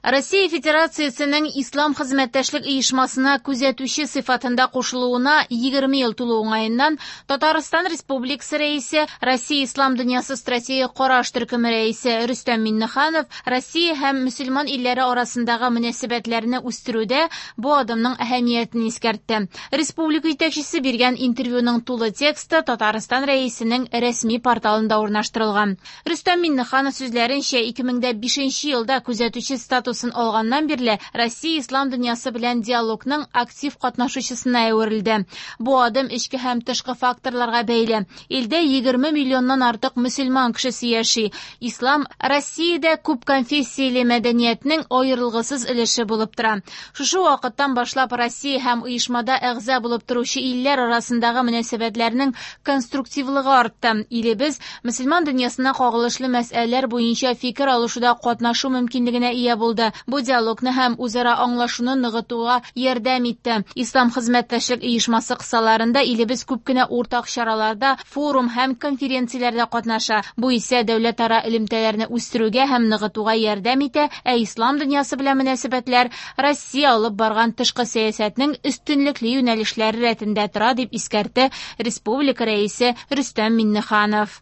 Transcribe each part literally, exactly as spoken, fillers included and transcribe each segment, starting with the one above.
Россия Федерациясенең Ислам хезмәттәшлек оешмасына күзәтүче сыйфатында кушылуына егерме ел тулу уңаеннан Татарстан Республикасы Рәисе, Россия Ислам дөньясы стратегик караш төркеме рәисе Рөстәм Миңнеханов Россия һәм мөселман илләре арасындагы мөнәсәбәтләрне үстерүдә бу адымның әһәмиятен искәртте. Республика җитәкчесе биргән интервьюның тулы тексты Татарстан Рәисенең рәсми порталында урнаштырылган. Рөстәм Миңнеханов сүзләренчә, ике мең дә бишенче елда күзәтүче статусын алганнан бирле Россия ислам дөньясы белән диалогның актив катнашучысына әверелде. Бу адым эчке һәм тышкы факторларга бәйле. Илдә егерме миллионнан артык мөселман кешесе яши. Ислам Россиядә күп конфессияле мәдәниятнең аерылгысыз өлеше булып тора. Шушы вакыттан башлап Россия һәм оешмада әгъза булып торучы илләр арасындагы мөнәсәбәтләрнең конструктивлыгы артты. Илебез мөселман дөньясына кагылышлы мәсьәләләр буенча фикер алышуда катнашу мөмкинлегенә ия булды. Бу диалогны һәм үзара аңлашуны ныгытуга ярдәм итте. Ислам хезмәттәшлек оешмасы кысаларында илебез күп кенә уртак чараларда, форум һәм конференцияләрдә катнаша. Бу исә дәүләтара элемтәләрне үстерүгә һәм ныгытуга ярдәм итә, ә ислам дөньясы белән мөнәсәбәтләр Россия алып барган тышкы сәясәтнең өстенлекле юнәлешләре рәтендә тора, дип искәртте Республика Рәисе Рөстәм Миңнеханов.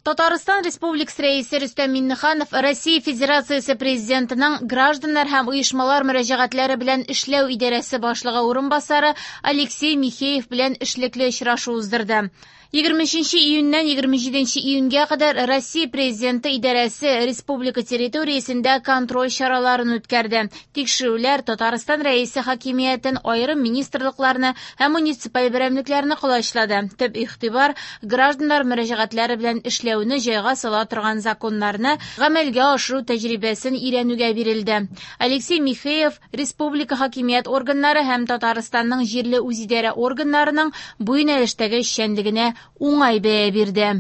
Татарстан Республикасы Рәисе Рөстәм Миңнеханов Россия Федерациясе Президентының гражданнар һәм оешмалар мөрәҗәгатьләре белән эшләү идарәсе башлыгы урынбасары Алексей Михеев белән эшлекле очрашу уздырды. Егерме өченче июньнән егерме җиденче июньгә кадәр Россия Президенты идарәсе республика территориясендә контроль чараларын үткәрде. Тикшерүләр Татарстан Рәисе хакимиятен, аерым министрлыкларны һәм муниципаль берәмлекләрне колачлады. Төп игътибар гражданнар мөрәҗәгатьләре белән эшләүне җайга сала торган законнарны гамәлгә ашыру тәҗрибәсен өйрәнүгә бирелде. Алексей Михеев республика хакимият органнары һәм Татарстанның җирле үзидарә органнарының бу юнәлештәге эшчәнлегенә уңай бәя бирде.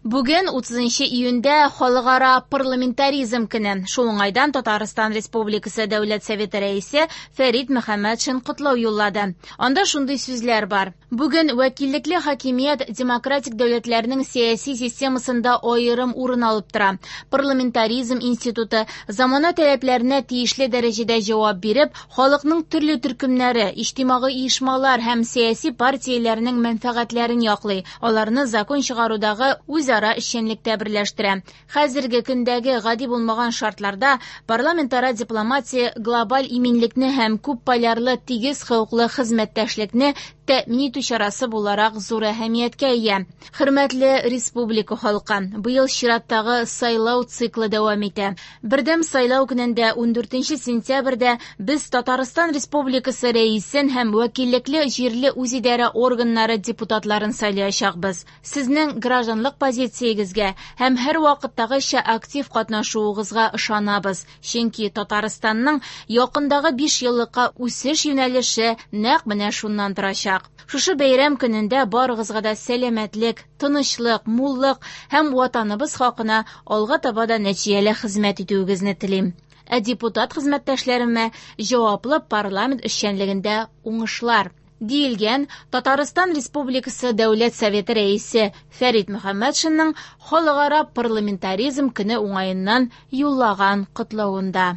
Бүген утызынчы июньдә Халыкара парламентаризм көне. Шул уңайдан Татарстан Республикасы Дәүләт Советы рәисе Фәрит Мөхәммәтшин котлау юллады. Анда шундый сүзләр бар. Бүген вәкиллекле хакимият демократик дәүләтләрнең сәяси системасында аерым урын алып тора. Парламентаризм институты замана таләпләренә тиешле дәрәҗәдә җавап биреп, халыкның төрле төркемнәре, иҗтимагый оешмалар һәм сәяси партияләрнең мәнфәгатьләрен яклый. Аларны закон чыгарудагы үз ара эшчәнлектә берләштерә. Хәзерге көндәге гади булмаган шартларда парламентара дипломатия глобаль иминлекне һәм күп полярлы тигез хокуклы хезмәттәшлекне тәэмин итү чарасы буларак зур әһәмияткә ия. Хөрмәтле республика халкы, быел чираттагы сайлау циклы дәвам итә. Бердәм сайлау көнендә ундүртенче сентябрьдә без Татарстан Республикасы рәисен һәм вәкиллекле җирле үзидарә органнары депутатларын сайлаячакбыз. Сезнең гражданлык позициягезгә һәм һәр вакыттагыча актив катнашуыгызга ышанабыз. Чөнки Татарстанның якындагы биш еллыкка үсеш юнәлеше нәкъ менә шуннан торачак. Шушы бәйрәм көнендә барыгызга да сәламәтлек, тынычлык, муллык һәм ватаныбыз хакына алга таба да нәтиҗәле хезмәт итүегезне телим. Ә депутат хезмәттәшләремә җаваплы парламент эшчәнлегендә уңышлар, диелгән Татарстан Республикасы Дәүләт Советы рәисе Фәрит Мөхәммәтшинның Халыкара парламентаризм көне уңаеннан юллаган котлавында.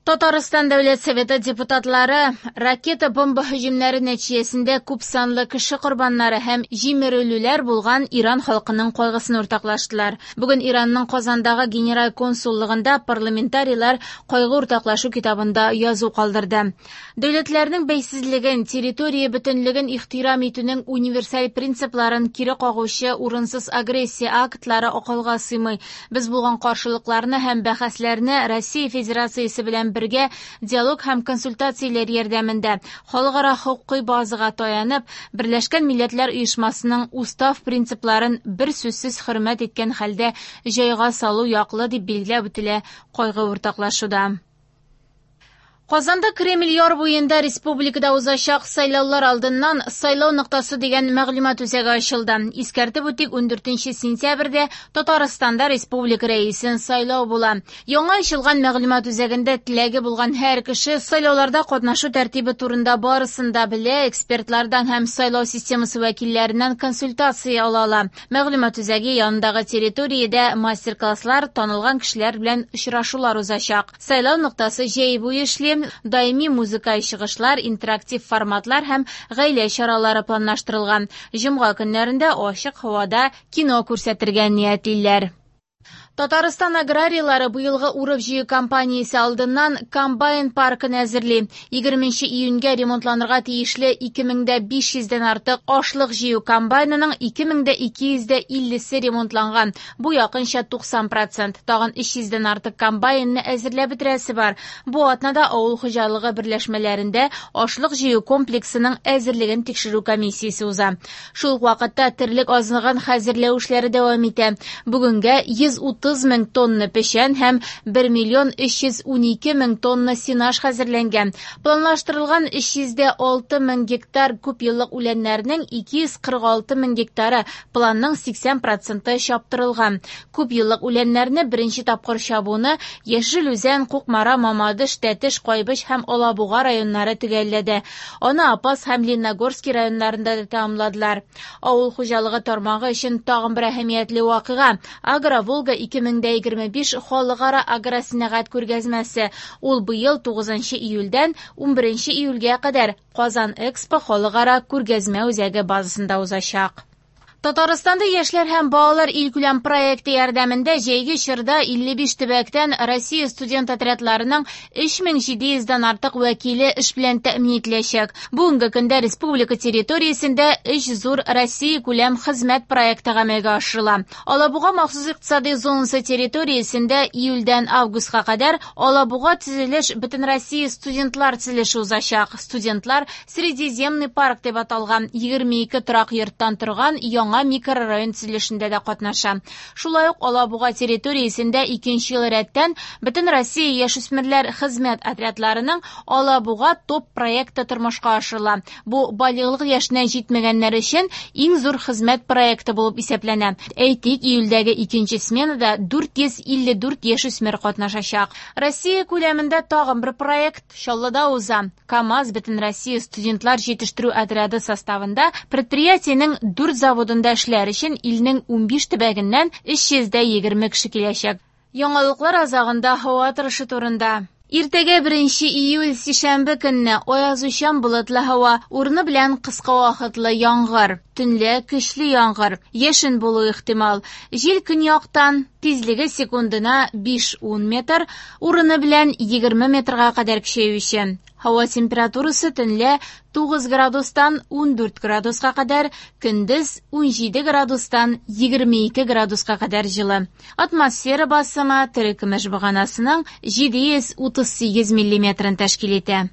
Татарстан Дәүләт Советы депутатлары ракета-бомба һөҗүмнәре нәтиҗәсендә күп санлы кеше корбаннары һәм җимерелүләр булган Иран халкының кайгысын уртаклаштылар. Бүген Иранның Казандагы генераль консуллыгында парламентарийлар кайгы уртаклашу китабында язу калдырды. Дәүләтләрнең бәйсезлеген, территория бөтенлеген ихтирам итүнең универсаль принципларын кире кагучы урынсыз агрессия актлары акылга сыймый. Без булган каршылыкларны һәм бәхәсләрне Россия Федерациясе белән бергә диалог һәм консультацияләр ярдәмендә халыкара хокукый базага таянып, Берләшкән Милләтләр Оешмасының устав принципларын бер сүзсез хөрмәт иткән хәлдә җайга салу яклы дип билгеләп үтелә кайгы уртаклашуда. Казанда Кремль яр буенда республикада узачак сайлаулар алдыннан «Сайлау ноктасы» дигән мәгълүмат үзәге ачылды. Искәртеп үтик, ундүртенче сентябрьдә Татарстанда республика рәисен сайлау була. Яңа ачылган мәгълүмат үзәгендә теләге булган һәр кеше сайлауларда катнашу тәртибе турында барысын да белә, экспертлардан һәм сайлау системасы вәкилләреннән консультация ала ала. Мәгълүмат үзәге янындагы территориядә мастер-класслар, танылган кешеләр белән очрашулар узачак. Сайлау ноктасы җәй буе эшли. Даими музыкаль чыгышлар, интерактив форматлар һәм гаилә чаралары планлаштырылган. Җомга көннәрендә ачык һавада кино күрсәтергә ниятлиләр. Татарстан аграрийлары быелгы урып-җыю кампаниясе алдыннан комбайн паркын әзерли. Егерменче июньгә ремонтланырга тиешле ике мең дә биш йөздән артык ашлык җыю комбайнының ике мең дә ике йөз дә иллесе ремонтланган. Бу якынча туксан процент. Тагын өч йөздән артык комбайнны әзерләп бетерәсе бар. Бу атнада авыл хуҗалыгы берләшмәләрендә ашлык җыю комплексының әзерлеген тикшерү комиссиясе уза. Шул ук вакытта терлек азыгын хәзерләү эшләре дәвам итә. Бүгенгә йөз утыз мең тонна печән һәм бер миллион өч йөз унике мең тонна сенаж хәзерләнгән. Планлаштырылган өч йөз дә алты мең гектар күп еллык үләннәрнең ике йөз кырык алты мең гектары планның сиксән проценты чаптырылган. Күп еллык үләннәрне беренче тапкыр чабуны Яшел Үзән, Кукмара, Мамадыш, Тәтеш, Кайбыч һәм Алабуга районнары төгәлләде. Аны Апас һәм Лениногорский районнарында да тәмамладылар. Авыл хуҗалыгы тармагы өчен тагын бер әһәмиятле вакыйга Агроволга ике мең дә егерме биш халыкара агросәнәгать күргәзмәсе. Ул быел тугызынчы июльдән унберенче июльгә кадәр Казан Экспо халыкара күргәзмә үзәге базасында узачак. Татарстанда яшьләр һәм балалар илкүләм проекты ярдәмендә җәйге чорда илле биш төбәктән Россия студент отрядларының өч мең җиде йөздән артык вәкиле эш белән тәэмин ителәчәк. Бүгенге көндә республика территориясендә өч зур Россия күләм хезмәт проекты гамәлгә ашырыла. Алабуга махсус икътисади зонасы территориясендә июльдән августка кадәр Алабуга төзелеш Бөтенроссия студентлар төзелеше узачак. Студентлар Средиземный парк дип аталган егерме ике торак йорттан торган яңа микрорайон төзелешендә дә катнаша. Шулай ук Алабуга территориясендә икенче ел рәттән Бөтенроссия яшүсмерләр хезмәт отрядларының Алабуга топ проекты тормышка ашырыла. Бу балигълык яшенә җитмәгәннәр өчен иң зур хезмәт проекты булып исәпләнә. Әйтик, июльдәге икенче сменада дүрт йөз илле дүрт яшүсмер катнашачак. Россия күләмендә тагын бер проект Чаллыда уза. КАМАЗ Бөтенроссия студентлар җитештерү отряды составында предприятиенең дүрт заводында эшләр өчен илнең унбиш төбәгеннән өч йөз дә егерме кеше киләчәк. Яңалыклар азагында һава торышы турында. Иртәгә беренче июль сишәмбе көнне аязучан болытлы һава, урыны белән кыска вакытлы яңгыр, төнлә көчле яңгыр, яшен булу ихтимал. Җил көньяктан, тизлеге секундына биш-ун метр, урыны белән егерме метрга кадәр көчәюче. Һава температурасы төнлә тугыз градустан ундүрт градуска кадәр, көндез унҗиде градустан егерме ике градуска кадәр җылы. Атмосфера басымы терекөмеш баганасының җиде йөз утыз сигез миллиметрын тәшкил итә.